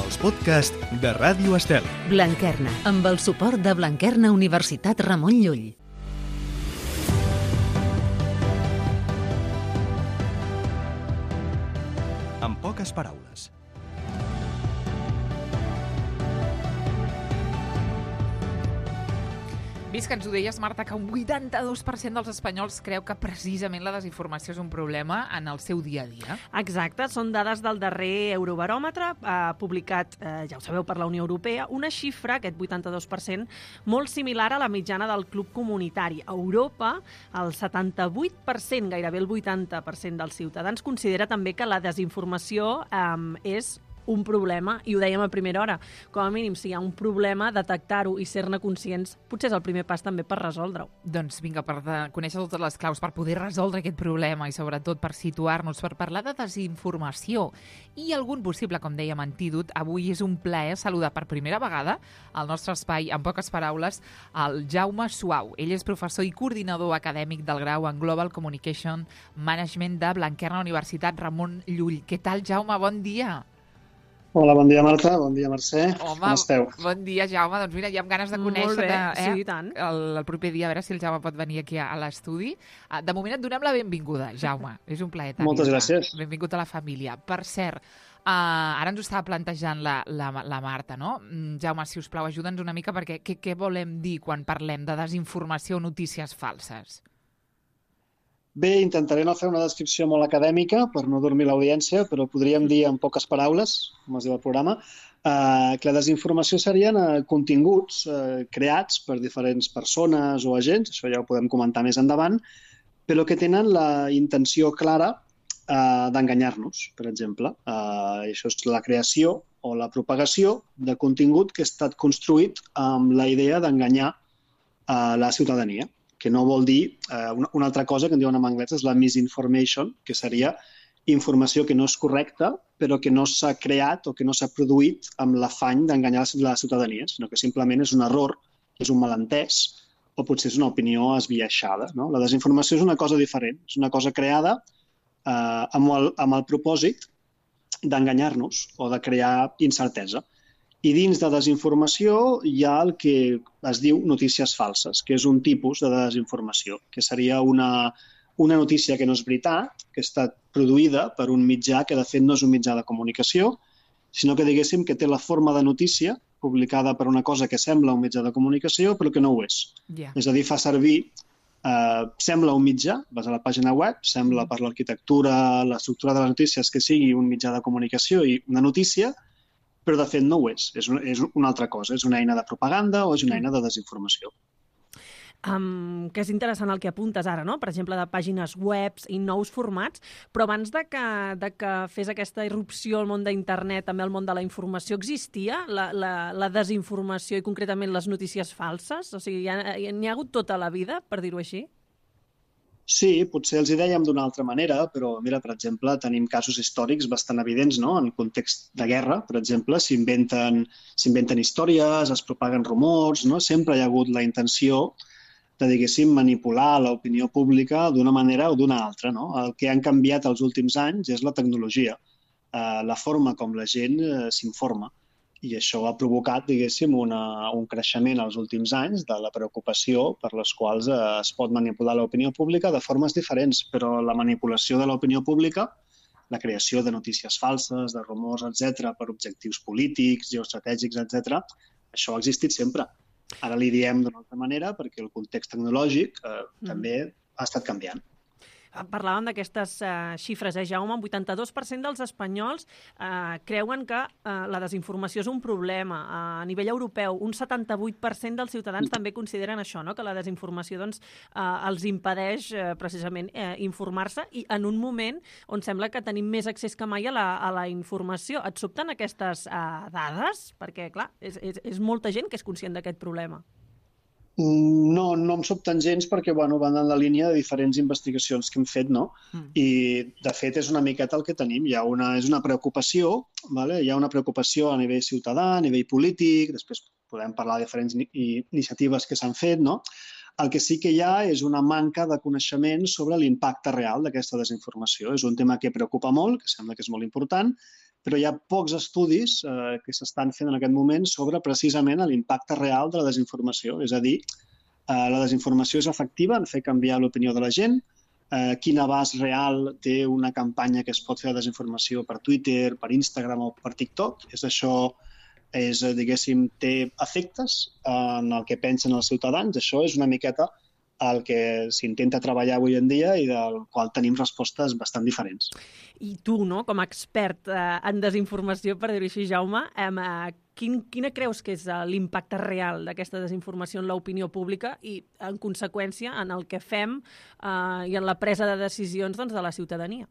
els podcasts de Ràdio Estel. Blanquerna, amb el suport de Blanquerna Universitat Ramon Llull. En poques paraules. Vist que ens ho deies, Marta, que un 82% dels espanyols creu que precisament la desinformació és un problema en el seu dia a dia. Exacte, són dades del darrer Eurobaròmetre, publicat, ja ho sabeu, per la Unió Europea, una xifra, aquest 82%, molt similar a la mitjana del club comunitari. A Europa, el 78%, gairebé el 80% dels ciutadans, considera també que la desinformació és un problema, i ho dèiem a primera hora. Com a mínim, si hi ha un problema, detectar-ho i ser-ne conscients potser és el primer pas també per resoldre-ho. Doncs vinga, per conèixer totes les claus, per poder resoldre aquest problema i sobretot per situar-nos, per parlar de desinformació i algun possible, com dèiem, antídot, avui és un plaer saludar per primera vegada al nostre espai, en poques paraules, el Jaume Suau. Ell és professor i coordinador acadèmic del grau en Global Communication Management de Blanquerna Universitat Ramon Llull. Què tal, Jaume? Bon dia! Hola, bon dia, Marta. Bon dia, Mercè. Home, com esteu? Bon dia, Jaume. Doncs mira, ja amb ganes de conèixer-te. Sí, i tant. El proper dia, a veure si el Jaume pot venir aquí a l'estudi. De moment et donem la benvinguda, Jaume. És un plaer tenir-te. Moltes gràcies. Benvingut a la família. Per cert, ara ens ho estava plantejant la Marta, no? Jaume, si us plau, ajuda'ns una mica, perquè què volem dir quan parlem de desinformació o notícies falses? Bé, intentaré no fer una descripció molt acadèmica per no dormir l'audiència, però podríem dir en poques paraules, com es diu el programa, que la desinformació serien continguts creats per diferents persones o agents, això ja ho podem comentar més endavant, però que tenen la intenció clara d'enganyar-nos, per exemple. Això és la creació o la propagació de contingut que ha estat construït amb la idea d'enganyar la ciutadania, que no vol dir una altra cosa que en diuen en anglès és la misinformation, que seria informació que no és correcta, però que no s'ha creat o que no s'ha produït amb l'afany d'enganyar la ciutadania, sinó que simplement és un error, és un malentès, o potser és una opinió esbiaixada, no? La desinformació és una cosa diferent, és una cosa creada amb el propòsit d'enganyar-nos o de crear incertesa. I dins de desinformació hi ha el que es diu notícies falses, que és un tipus de desinformació, que seria una notícia que no és veritat, que ha estat produïda per un mitjà que de fet no és un mitjà de comunicació, sinó que diguéssim que té la forma de notícia publicada per una cosa que sembla un mitjà de comunicació però que no ho és. Yeah. És a dir, fa servir, sembla un mitjà, vas a la pàgina web, sembla per l'arquitectura, l'estructura de les notícies que sigui un mitjà de comunicació i una notícia, però de fet no ho és una altra cosa, és una eina de propaganda o és una eina de desinformació. Que és interessant el que apuntes ara, no? Per exemple, de pàgines webs i nous formats, però abans de que fes aquesta irrupció al món d'internet, també al món de la informació, existia la desinformació i concretament les notícies falses? O sigui, n'hi ha hagut tota la vida, per dir-ho així? Sí, potser els hi dèiem d'una altra manera, però mira, per exemple, tenim casos històrics bastant evidents, no? En context de guerra, per exemple, s'inventen històries, es propaguen rumors, no? Sempre hi ha hagut la intenció de, diguéssim, manipular l'opinió pública d'una manera o d'una altra, no? El que han canviat els últims anys és la tecnologia, la forma com la gent s'informa. I això ha provocat, diguéssim, un creixement als últims anys de la preocupació per les quals es pot manipular l'opinió pública de formes diferents, però la manipulació de l'opinió pública, la creació de notícies falses, de rumors, etc., per objectius polítics, geoestratègics, etc., això ha existit sempre. Ara li diem d'una altra manera perquè el context tecnològic també ha estat canviant. Parlàvem d'aquestes xifres, Jaume, un 82% dels espanyols creuen que la desinformació és un problema. A nivell europeu, un 78% dels ciutadans també consideren això, no? Que la desinformació els impedeix precisament informar-se i en un moment on sembla que tenim més accés que mai a la informació. Et sobten aquestes dades? Perquè, clar, és molta gent que és conscient d'aquest problema. No em sobten gens perquè van en la línia de diferents investigacions que hem fet, no? I, de fet, és una miqueta el que tenim. És una preocupació, hi ha una preocupació a nivell ciutadà, a nivell polític, després podem parlar de diferents iniciatives que s'han fet, no? El que sí que hi ha és una manca de coneixement sobre l'impacte real d'aquesta desinformació. És un tema que preocupa molt, que sembla que és molt important, però hi ha pocs estudis que s'estan fent en aquest moment sobre precisament l'impacte real de la desinformació. És a dir, la desinformació és efectiva en fer canviar l'opinió de la gent, quin abast real té una campanya que es pot fer de desinformació per Twitter, per Instagram o per TikTok. Diguéssim, té efectes en el que pensen els ciutadans. Això és una miqueta el que s'intenta treballar avui en dia i del qual tenim respostes bastant diferents. I tu, no, com a expert en desinformació, per dir-ho així, Jaume, quina creus que és l'impacte real d'aquesta desinformació en l'opinió pública i, en conseqüència, en el que fem i en la presa de decisions de la ciutadania?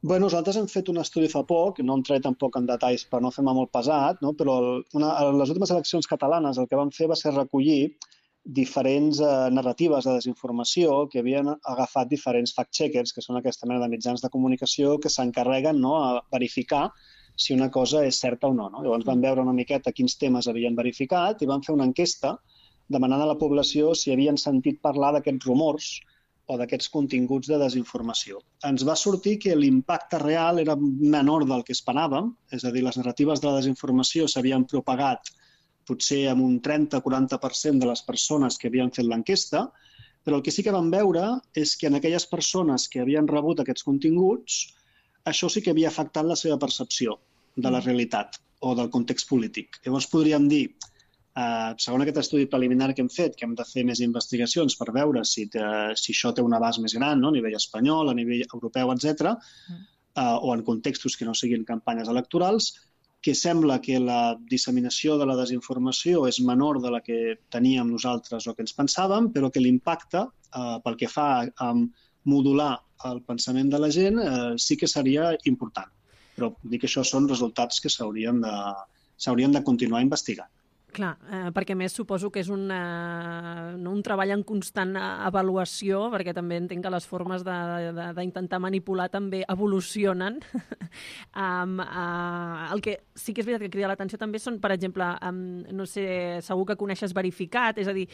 Bé, nosaltres hem fet un estudi fa poc, no entraré tampoc en detalls per no fer-me molt pesat, no? Però les últimes eleccions catalanes el que vam fer va ser recollir diferents narratives de desinformació que havien agafat diferents fact-checkers, que són aquesta mena de mitjans de comunicació que s'encarreguen a verificar si una cosa és certa o no. Llavors vam veure una miqueta quins temes havien verificat i vam fer una enquesta demanant a la població si havien sentit parlar d'aquests rumors o d'aquests continguts de desinformació. Ens va sortir que l'impacte real era menor del que esperàvem, és a dir, les narratives de la desinformació s'havien propagat potser amb un 30-40% de les persones que havien fet l'enquesta, però el que sí que vam veure és que en aquelles persones que havien rebut aquests continguts, això sí que havia afectat la seva percepció de la realitat o del context polític. Llavors podríem dir, segons aquest estudi preliminar que hem fet, que hem de fer més investigacions per veure si això té un abast més gran, a nivell espanyol, a nivell europeu, etc., o en contextos que no siguin campanyes electorals, que sembla que la disseminació de la desinformació és menor de la que teníem nosaltres o que ens pensàvem, però que l'impacte, pel que fa a modular el pensament de la gent, sí que seria important. Però dic que això són resultats que s'haurien de continuar investigant. Clar, perquè més suposo que és un treball en constant avaluació, perquè també entenc que les formes d'intentar manipular també evolucionen. El que sí que és veritat que crida l'atenció també són, per exemple, no sé, segur que coneixes Verificat, és a dir,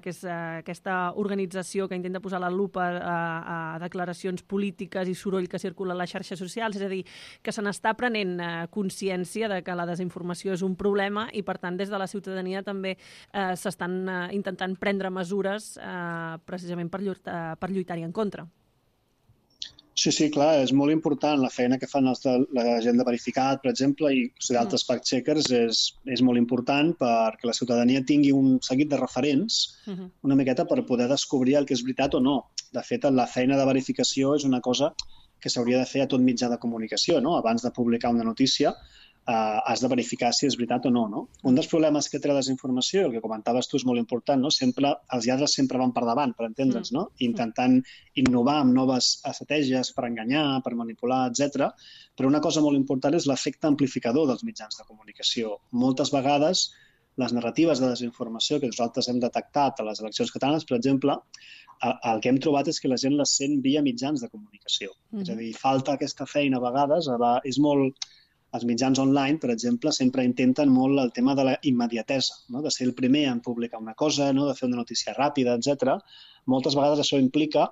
que és aquesta organització que intenta posar la lupa a declaracions polítiques i soroll que circula a les xarxes socials, és a dir, que se n'està prenent consciència de que la desinformació és un problema i, per tant, des de la ciutadania també s'estan intentant prendre mesures precisament per lluitar-hi en contra. Sí, clar, és molt important la feina que fan la gent de Verificat, per exemple, i d'altres fact-checkers és molt important perquè la ciutadania tingui un seguit de referents una miqueta per poder descobrir el que és veritat o no. De fet, la feina de verificació és una cosa que s'hauria de fer a tot mitjà de comunicació, no? Abans de publicar una notícia, has de verificar si és veritat o no. Un dels problemes que té la desinformació, el que comentaves tu és molt important, no? Els lladres sempre van per davant, per entendre'ns, no? Intentant innovar amb noves estratègies per enganyar, per manipular, etc. Però una cosa molt important és l'efecte amplificador dels mitjans de comunicació. Moltes vegades les narratives de desinformació que nosaltres hem detectat a les eleccions catalanes, per exemple, el que hem trobat és que la gent les sent via mitjans de comunicació. És a dir, falta aquesta feina a vegades, és molt... Els mitjans online, per exemple, sempre intenten molt el tema de la immediatesa, no? De ser el primer en publicar una cosa, no? De fer una notícia ràpida, etc. Moltes vegades això implica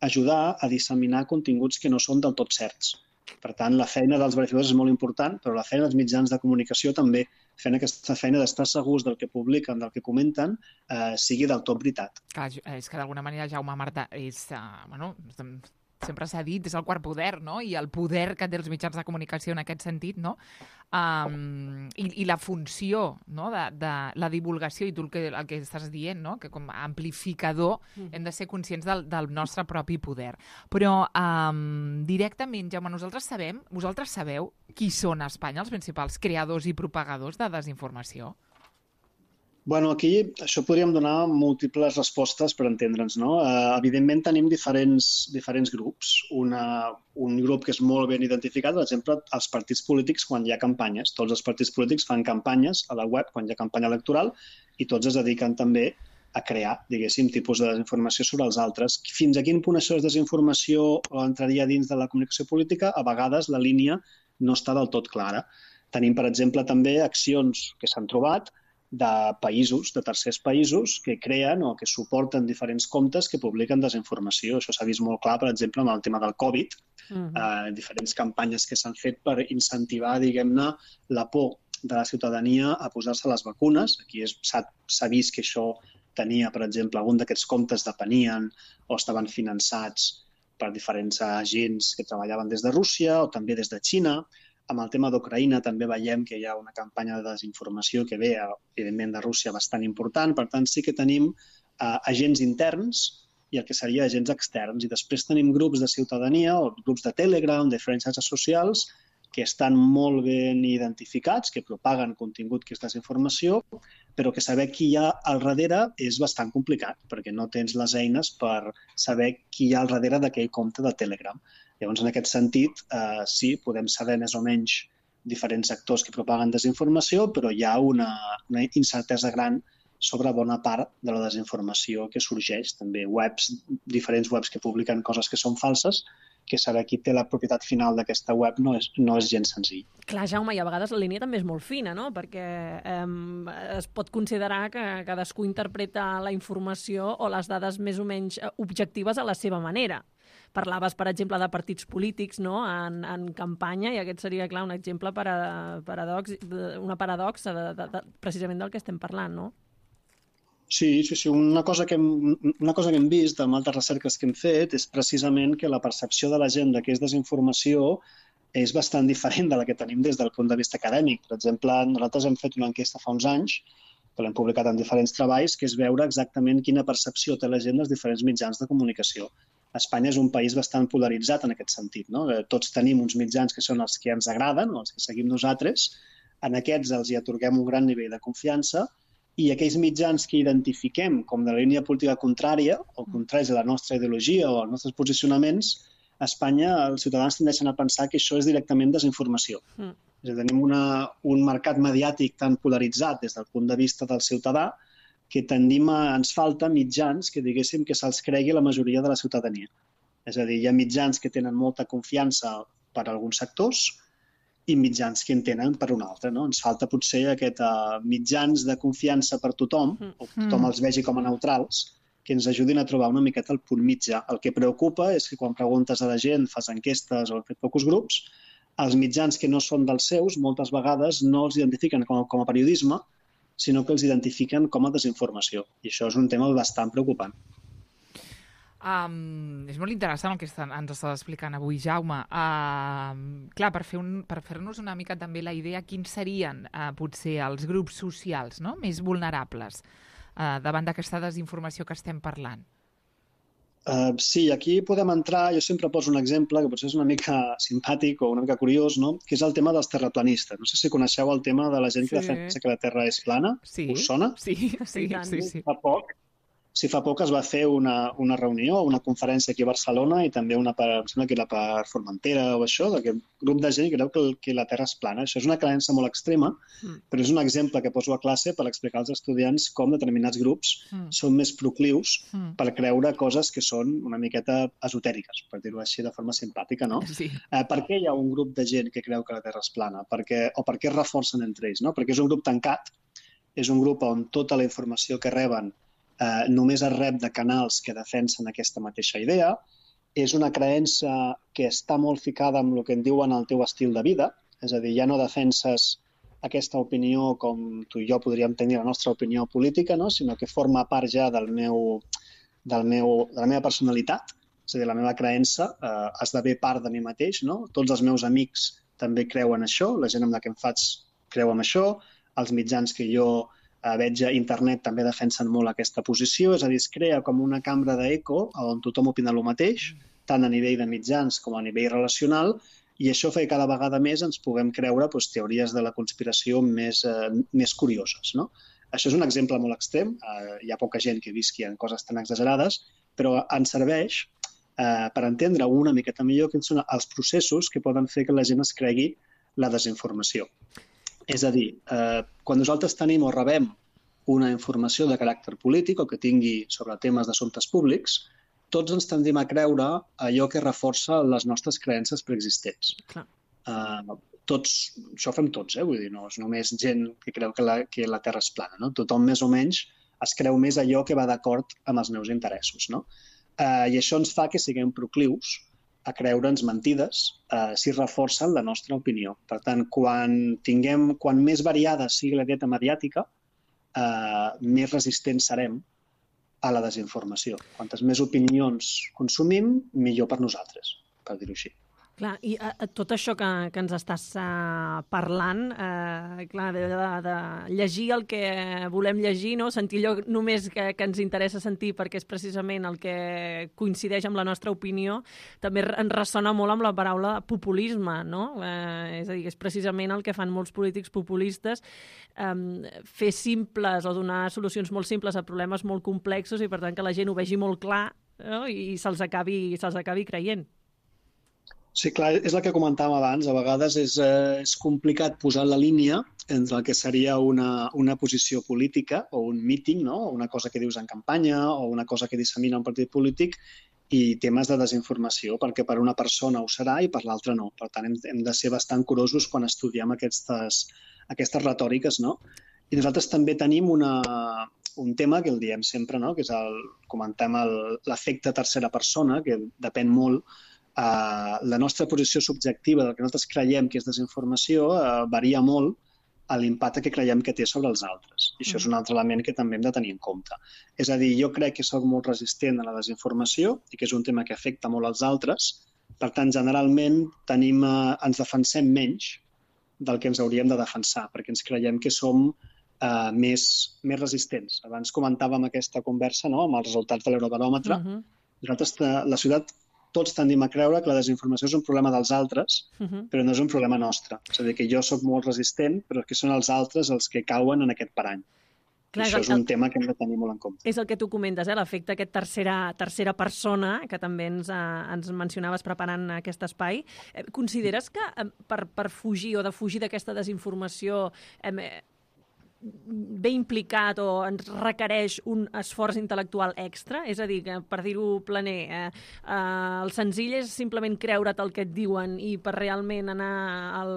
ajudar a disseminar continguts que no són del tot certs. Per tant, la feina dels verificadors és molt important, però la feina dels mitjans de comunicació també, fent aquesta feina d'estar segurs del que publiquen, del que comenten, sigui del tot veritat. Clar, és que d'alguna manera, Jaume, Marta, sempre s'ha dit, és el quart poder, no? I el poder que té els mitjans de comunicació en aquest sentit, no? I la funció, no? de la divulgació i tu el que estàs dient, no? Que com a amplificador hem de ser conscients del nostre propi poder. Però directament, Jaume, vosaltres sabeu qui són a Espanya els principals creadors i propagadors de desinformació? Bueno, aquí això podríem donar múltiples respostes per entendre'ns, no? Evidentment tenim diferents grups. Un grup que és molt ben identificat, per exemple, els partits polítics quan hi ha campanyes. Tots els partits polítics fan campanyes a la web quan hi ha campanya electoral i tots es dediquen també a crear, diguéssim, tipus de desinformació sobre els altres. Fins a quin punt això és desinformació o entraria dins de la comunicació política? A vegades la línia no està del tot clara. Tenim, per exemple, també accions que s'han trobat de països, de tercers països, que creen o que suporten diferents comptes que publiquen desinformació. Això s'ha vist molt clar, per exemple, amb el tema del Covid, diferents campanyes que s'han fet per incentivar, diguem-ne, la por de la ciutadania a posar-se les vacunes. Aquí s'ha vist que això tenia, per exemple, algun d'aquests comptes depenien o estaven finançats per diferents agents que treballaven des de Rússia o també des de Xina. Amb el tema d'Ucraïna també veiem que hi ha una campanya de desinformació que ve, evidentment, de Rússia bastant important. Per tant, sí que tenim agents interns i el que seria agents externs. I després tenim grups de ciutadania o grups de Telegram, de diferents xarxes socials, que estan molt ben identificats, que propaguen contingut que és desinformació, però que saber qui hi ha al darrere és bastant complicat, perquè no tens les eines per saber qui hi ha al darrere d'aquell compte de Telegram. Llavors, en aquest sentit, sí, podem saber més o menys diferents actors que propaguen desinformació, però hi ha una incertesa gran sobre bona part de la desinformació que sorgeix. També diferents webs que publiquen coses que són falses, que saber qui té la propietat final d'aquesta web no és gens senzill. Clar, Jaume, i a vegades la línia també és molt fina, no? Perquè es pot considerar que cadascú interpreta la informació o les dades més o menys objectives a la seva manera. Parlaves, per exemple, de partits polítics, no? en campanya, i aquest seria, clar, un exemple una paradoxa precisament del que estem parlant, no? Sí. Una cosa que hem vist amb altres recerques que hem fet és precisament que la percepció de la gent de què és desinformació és bastant diferent de la que tenim des del punt de vista acadèmic. Per exemple, nosaltres hem fet una enquesta fa uns anys, que l'hem publicat en diferents treballs, que és veure exactament quina percepció té la gent dels diferents mitjans de comunicació. Espanya és un país bastant polaritzat en aquest sentit, no? Tots tenim uns mitjans que són els que ens agraden, o els que seguim nosaltres. En aquests els hi atorguem un gran nivell de confiança, i aquells mitjans que identifiquem com de la línia política contrària o contraris a la nostra ideologia o als nostres posicionaments, a Espanya els ciutadans tendeixen a pensar que això és directament desinformació. És a dir, tenim un mercat mediàtic tan polaritzat des del punt de vista del ciutadà que ens falta mitjans que diguéssim que se'ls cregui la majoria de la ciutadania. És a dir, hi ha mitjans que tenen molta confiança per a alguns sectors i mitjans que en tenen per un altre, no? Ens falta potser aquest mitjans de confiança per tothom, o que tothom els vegi com a neutrals, que ens ajudin a trobar una miqueta el punt mitjà. El que preocupa és que quan preguntes a la gent, fas enquestes o fet focus grups, els mitjans que no són dels seus moltes vegades no els identifiquen com a periodisme, sinó que els identifiquen com a desinformació. I això és un tema bastant preocupant. És molt interessant el que ens estàs explicant avui, Jaume. Clar, per fer-nos una mica també la idea, quins serien potser els grups socials, no?, més vulnerables davant d'aquesta desinformació que estem parlant? Sí, aquí podem entrar, jo sempre poso un exemple que potser és una mica simpàtic o una mica curiós, no?, que és el tema dels terraplanistes. No sé si coneixeu el tema de la gent que defensa que la Terra és plana. Sí. Us sona? Sí. Fa poc es va fer una reunió, una conferència aquí a Barcelona i també em sembla que era per Formentera o això, d'aquest grup de gent que creu que la Terra és plana. Això és una creença molt extrema, però és un exemple que poso a classe per explicar als estudiants com determinats grups són més proclius per creure coses que són una miqueta esotèriques, per dir-ho així de forma simpàtica, no? Sí. Per què hi ha un grup de gent que creu que la Terra és plana? O per què es reforcen entre ells, no? Perquè és un grup tancat, és un grup on tota la informació que reben només es rep de canals que defensen aquesta mateixa idea. És una creença que està molt ficada amb el que en diuen el teu estil de vida, és a dir, ja no defenses aquesta opinió com tu i jo podríem tenir la nostra opinió política, no?, sinó que forma part ja de la meva personalitat, és a dir, la meva creença esdevé part de mi mateix, no? Tots els meus amics també creuen això, la gent amb la que em faig creu en això, els mitjans que jo veig a internet també defensen molt aquesta posició, és a dir, es crea com una cambra d'eco on tothom opina el mateix, tant a nivell de mitjans com a nivell relacional, i això fa que cada vegada més ens puguem creure teories de la conspiració més curioses, no? Això és un exemple molt extrem, hi ha poca gent que visqui en coses tan exagerades, però ens serveix per entendre una miqueta millor quins són els processos que poden fer que la gent es cregui la desinformació. És a dir, quan nosaltres tenim o rebem una informació de caràcter polític o que tingui sobre temes d'assumptes públics, tots ens tendim a creure allò que reforça les nostres creences preexistents. això ho fem tots, vull dir, no és només gent que creu que la Terra és plana, no? Tothom més o menys es creu més allò que va d'acord amb els meus interessos, no? I això ens fa que siguem proclius a creure'ns mentides si reforcen la nostra opinió. Per tant, quan més variada sigui la dieta mediàtica, més resistents serem a la desinformació. Quantes més opinions consumim, millor per nosaltres, per dir-ho així. Clar, i tot això que ens estàs parlant, clar, de llegir el que volem llegir, no? Sentir allò només que ens interessa sentir perquè és precisament el que coincideix amb la nostra opinió, també ens ressona molt amb la paraula populisme, no? És a dir, és precisament el que fan molts polítics populistes, fer simples o donar solucions molt simples a problemes molt complexos i per tant que la gent ho vegi molt clar, no? I se'ls acabi creient. Sí, clar, és el que comentàvem abans. A vegades és complicat posar la línia entre el que seria una posició política o un míting, no? Una cosa que dius en campanya o una cosa que dissemina un partit polític i temes de desinformació, perquè per una persona ho serà i per l'altra no. Per tant, hem de ser bastant curosos quan estudiem aquestes retòriques, no? I nosaltres també tenim un tema que el diem sempre, no? Que és comentem l'efecte tercera persona, que depèn molt. La nostra posició subjectiva del que nosaltres creiem que és desinformació varia molt a l'impacte que creiem que té sobre els altres. I això és un altre element que també hem de tenir en compte. És a dir, jo crec que soc molt resistent a la desinformació i que és un tema que afecta molt als altres. Per tant, generalment ens defensem menys del que ens hauríem de defensar, perquè ens creiem que som més resistents. Abans comentàvem aquesta conversa, no?, amb els resultats de l'Eurobaròmetre. Nosaltres, la ciutat, tots tendim a creure que la desinformació és un problema dels altres, però no és un problema nostre. És a dir, que jo sóc molt resistent, però que són els altres els que cauen en aquest parany. Clar, això és un tema que hem de tenir molt en compte. És el que tu comentes, l'efecte aquest tercera persona, que també ens mencionaves preparant aquest espai. Consideres que per fugir o defugir d'aquesta desinformació ve implicat o ens requereix un esforç intel·lectual extra? És a dir, que per dir-ho planer, el senzill és simplement creure't el que et diuen i per realment anar al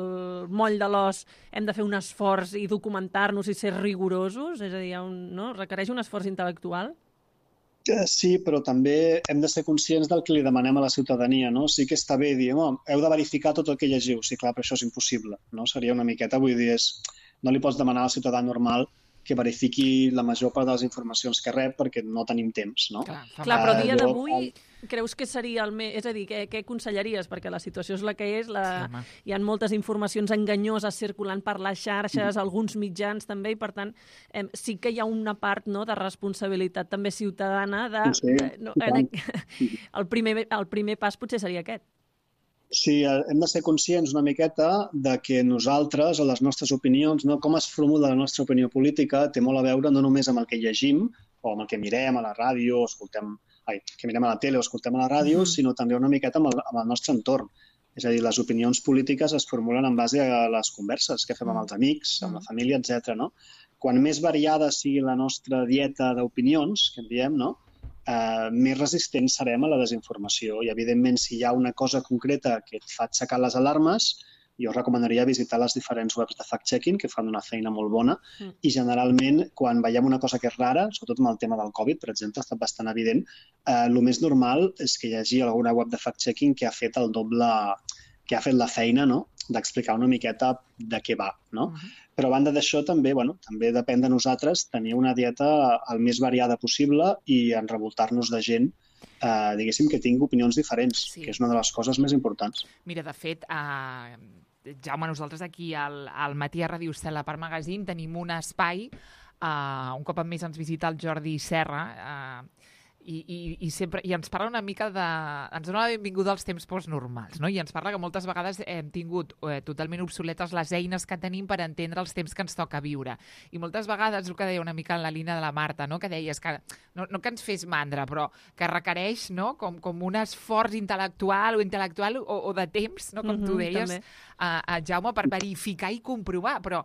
moll de l'os hem de fer un esforç i documentar-nos i ser rigorosos? És a dir, requereix un esforç intel·lectual? Sí, però també hem de ser conscients del que li demanem a la ciutadania, no? Sí que està bé dir, heu de verificar tot el que llegiu. Sí, clar, però això és impossible, no? Seria una miqueta, vull dir, no li pots demanar al ciutadà normal que verifiqui la major part de les informacions que rep perquè no tenim temps, no? Clar, però a dia d'avui creus que seria el més... És a dir, què aconsellaries? Perquè la situació és la que és, hi ha moltes informacions enganyoses circulant per les xarxes, alguns mitjans també, i per tant sí que hi ha una part de responsabilitat també ciutadana el primer pas potser seria aquest. Sí, hem de ser conscients una miqueta de que nosaltres, o les nostres opinions, com es formula la nostra opinió política, té molt a veure no només amb el que llegim o amb el que mirem a la ràdio, que mirem a la tele o escoltem a la ràdio, sinó també una miqueta amb el nostre entorn. És a dir, les opinions polítiques es formulen en base a les converses que fem amb els amics, amb la família, etc. Quan més variada sigui la nostra dieta d'opinions, que en diem, més resistents serem a la desinformació. I, evidentment, si hi ha una cosa concreta que et fa aixecar les alarmes, jo recomanaria visitar les diferents webs de fact-checking, que fan una feina molt bona, i generalment, quan veiem una cosa que és rara, sobretot amb el tema del Covid, per exemple, ha estat bastant evident, el més normal és que hi hagi alguna web de fact-checking que ha fet el doble, que ha fet la feina, d'explicar una miqueta de què va, Però a banda d'això també depèn de nosaltres tenir una dieta el més variada possible i enrevoltar-nos de gent, diguéssim, que tingui opinions diferents, que és una de les coses més importants. Mira, de fet, Jaume, nosaltres aquí al Matí a Ràdio Estel·la per Magazine tenim un espai, un cop al mes ens visita el Jordi Serra, i ens parla una mica ens dona la benvinguda als temps postnormals, i ens parla que moltes vegades hem tingut totalment obsoletes les eines que tenim per entendre els temps que ens toca viure. I moltes vegades, el que deia una mica en la línia de la Marta, que deies que no que ens fes mandra, però que requereix com un esforç intel·lectual o de temps, com tu deies, Jaume, per verificar i comprovar, però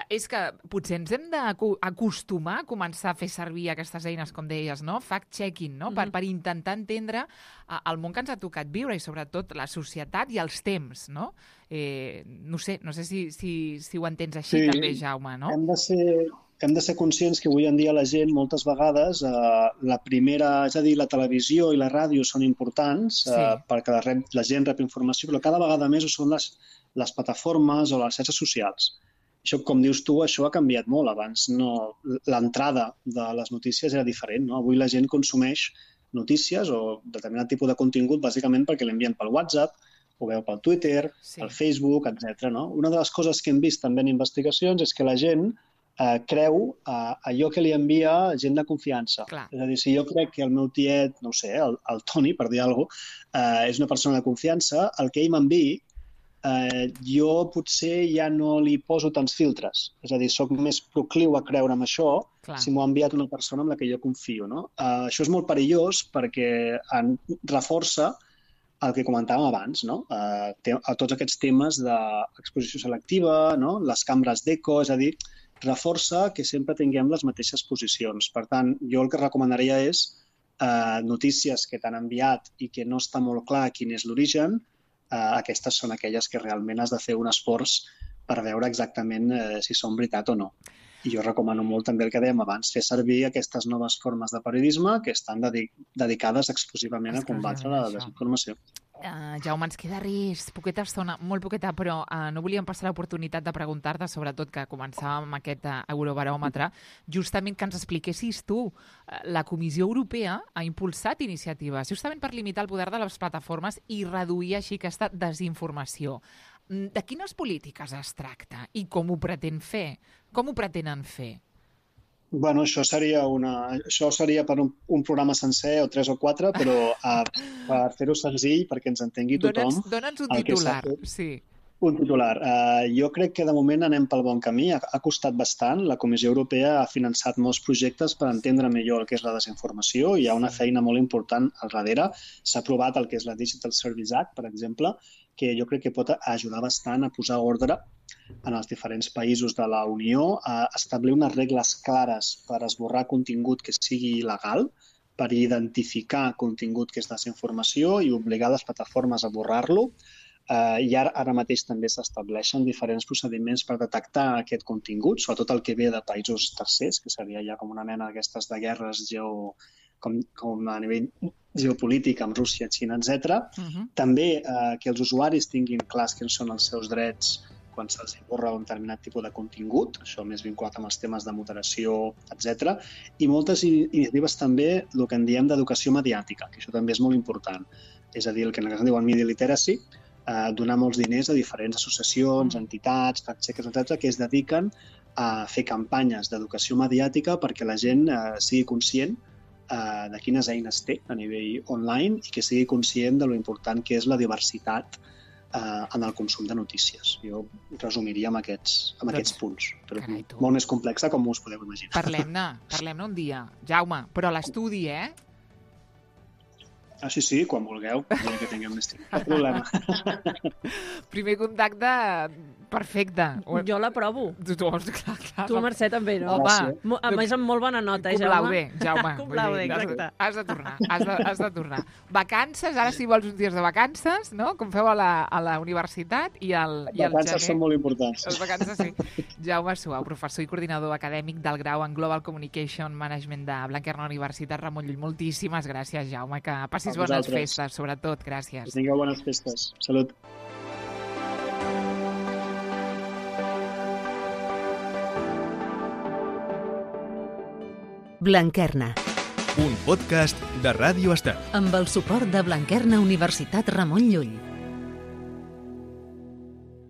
és que potser ens hem d'acostumar a començar a fer servir aquestes eines, com deies, no? Fact-checking, no? Per intentar entendre el món que ens ha tocat viure i sobretot la societat i els temps, no? No sé si ho entens així també, Jaume, no? Hem de ser conscients que avui en dia la gent, moltes vegades, la televisió i la ràdio són importants perquè la gent rep informació, però cada vegada més ho són les plataformes o les xarxes socials. Això, com dius tu, això ha canviat molt. Abans l'entrada de les notícies era diferent, no? Avui la gent consumeix notícies o determinat tipus de contingut bàsicament perquè l'envien pel WhatsApp, ho veu pel Twitter, pel Facebook, etc. No? Una de les coses que hem vist també en investigacions és que la gent creu allò que li envia gent de confiança. Clar. És a dir, si jo crec que el meu tiet, no ho sé, el Toni, per dir alguna cosa, és una persona de confiança, el que ell m'enviï jo potser ja no li poso tants filtres. És a dir, soc més procliu a creure en això si m'ho ha enviat una persona amb la que jo confio. No? Això és molt perillós perquè reforça el que comentàvem abans, no? Tots aquests temes d'exposició selectiva, no? Les cambres d'eco, és a dir, reforça que sempre tinguem les mateixes posicions. Per tant, jo el que recomanaria és notícies que t'han enviat i que no està molt clar quin és l'origen. Aquestes són aquelles que realment has de fer un esforç per veure exactament si són veritat o no. I jo recomano molt també el que dèiem abans, fer servir aquestes noves formes de periodisme que estan dedicades exclusivament a combatre la desinformació. Jaume, ens queda res, poqueta estona, molt poqueta, però no volíem passar l'oportunitat de preguntar-te, sobretot que començàvem amb aquest eurobaròmetre, justament que ens expliquessis tu. La Comissió Europea ha impulsat iniciatives justament per limitar el poder de les plataformes i reduir així aquesta desinformació. De quines polítiques es tracta i com ho pretén fer? Com ho pretenen fer? Bueno, això seria per un programa sencer o 3 o 4, però per fer-ho senzill, perquè ens entengui tothom... Dóna'ns un titular, sí. Un titular. Jo crec que de moment anem pel bon camí. Ha costat bastant. La Comissió Europea ha finançat molts projectes per entendre millor el que és la desinformació. Hi ha una feina molt important al darrere. S'ha aprovat el que és la Digital Services Act, per exemple, que jo crec que pot ajudar bastant a posar ordre en els diferents països de la Unió, a establir unes regles clares per esborrar contingut que sigui il·legal, per identificar contingut que és desinformació i obligar les plataformes a borrar-lo. I ara mateix també s'estableixen diferents procediments per detectar aquest contingut, sobretot el que ve de països tercers, que seria ja com una mena d'aquestes de guerres com a nivell geopolític amb Rússia, Xina, etc. També que els usuaris tinguin clars quins són els seus drets quan se'ls borra un determinat tipus de contingut, això més vinculat amb els temes de moderació, etc. I moltes iniciatives també, el que en diem d'educació mediàtica, que això també és molt important. És a dir, el que en anglès diuen media literacy, donar molts diners a diferents associacions, entitats, fact-checkers, etc., que es dediquen a fer campanyes d'educació mediàtica perquè la gent sigui conscient de quines eines té a nivell online i que sigui conscient de lo important que és la diversitat en el consum de notícies. Jo resumiria amb aquests punts. Però molt més complexa com us podeu imaginar. Parlem-ne un dia. Jaume, però l'estudi, Sí, quan vulgueu, que tinguem més temps. Cap problema. Primer contacte, perfecte. Jo l'aprovo. Clar. Tu, Mercè, també, no? Home, a més, amb molt bona nota, Jaume. Complau bé, exacte. Has de tornar. Vacances, ara si vols uns dies de vacances, no? Com feu a la universitat i al gener. Vacances són molt importants. Les vacances, sí. Jaume Suau, professor i coordinador acadèmic del grau en Global Communication Management de Blanquerna Universitat Ramon Llull. Moltíssimes gràcies, Jaume, que passis bones festes, sobretot. Gràcies. Que tingueu bones festes. Salut. Blanquerna. Un podcast de Ràdio Estel. Amb el suport de Blanquerna Universitat Ramon Llull.